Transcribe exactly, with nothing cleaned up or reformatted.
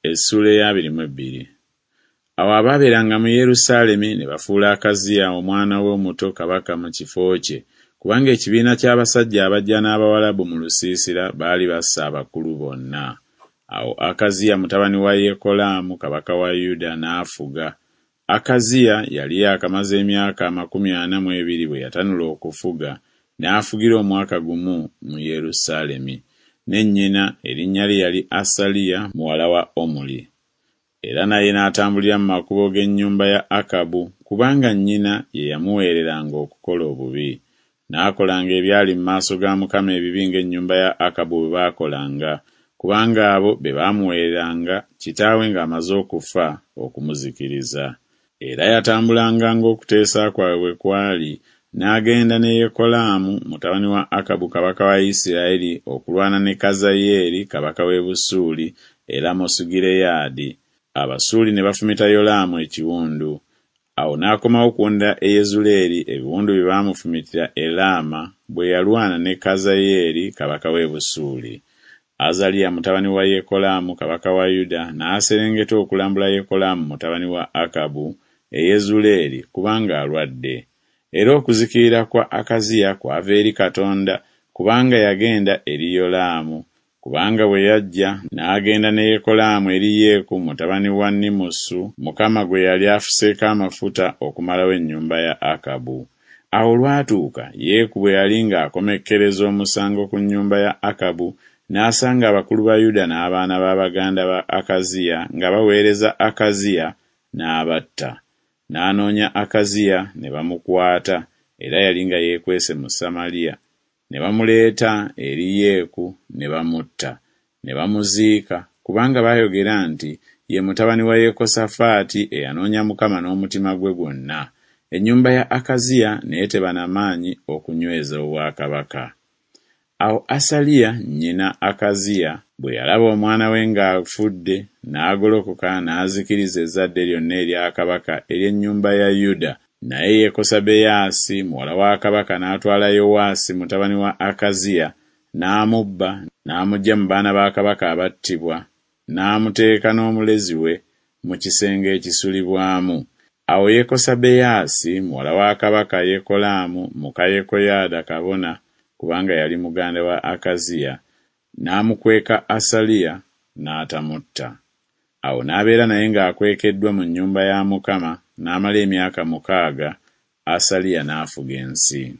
Essuula ey'abiri mu ebbiri. Awo abaabeeranga mu Yerusaalemi ne bafuula Akaziya omwana we omuto kabaka mu kifo kye, kubanga ekibiina ky'abasajja abajja n'Abawalabu mu lusiisira baali basse abakulu bonna. Awo Akaziya mutabani wa Yekolaamu kabaka wa Yuda n'afuga. Akaziya yali yaakamaze emyaka amakumi ana mu ebiri bwe yatanula okufuga, n'afugira omwaka gumu mu Yerusaalemi. Ne nnyina erinnya lye yali Asaliya muwala wa Omuli. Era naye n'atambulira mu makubo g'ennyumba ya Akabu, kubanga nnyina ye yamuweereranga okukola obubi. N'akolanga ebyali mu maaso ga Mukama ebibi ng'ennyumba ya Akabu bwe baakolanga, kubanga abo be baamuweereranga kitaawe ng'amaze okufa okumuzikiriza. Era yatambulanga ng'okuteesa kwabwe bwe kwali, n'agenda ne Yekolaamu mutabani wa Akabu kabaka wa Isirayiri okulwana ne Kazayeeri kabaka w'e Busuuli e Lamosugireyaadi. Abasuuli ne bafumita Yolaamu ekiwundu. Awo n'akomawo okuwonera e Yezuleeri ebiwundu bye baamufumitira e Laama bwe yalwana ne Kazayeeri kabaka w'e Busuuli. Azaliya mutabani wa Yekolaamu kabaka wa Yuda n'aserengeta okulambula Yekolaamu mutabani wa Akabu e Yezuleeri kubanga alwadde. Era okuzikirira kwa Akaziya kwava eri Katonda, kubanga yagenda eri Yolaamu, kubanga bwe yajja n'agenda ne Yekolaamu eri Yeeku mutabani wa Nimusu Mukama gwe yali afuseeko amafuta okumalawo ennyumba ya Akabu. Awo olwatuuka Yeeku bwe yali ng'akomekkereza omusango ku nnyumba ya Akabu, n'asanga abakulu ba Yuda n'abaana ba baganda ba Akaziya nga baweereza Akaziya, n'abatta. N'anoonya Akaziya ne bamukwata, era yali nga yeekwese mu Samaliya. Ne bamuleeta eri Yeeku ne bamutta, ne bamuziika, kubanga baayogera nti Ye mutabani wa Yekosafaati eyanoonya Mukama n'omutima gwe gwonna. Ennyumba ya Akaziya n'eteba na maanyi okunyweza obwakabaka. Awo Asaliya nnyina Akaziya bwe yalaba omwana we ng'afudde, n'agolokoka n'azikiriza ezzadde lyonna erya kabaka ery'ennyumba ya Yuda. Naye Yekosabeyaasi muwala wa kabaka n'atwala Yowaasi mutabani wa Akaziya n'amubba n'amuggya mu baana ba kabaka abattibwa, n'amuteeka n'omulezi we mu kisenge ekisulibwamu. Awo Yekosabeyaasi muwala wa kabaka Yekolaamu muka Yekoyaada kabona, kubanga yali muganda wa Akaziya, n'amukweka Asaliya n'atamutta. Awo n'abeera naye ng'akwekeddwa mu nnyumba ya Mukama n'amala emyaka mukaaga, Asaliya n'afuga ensi.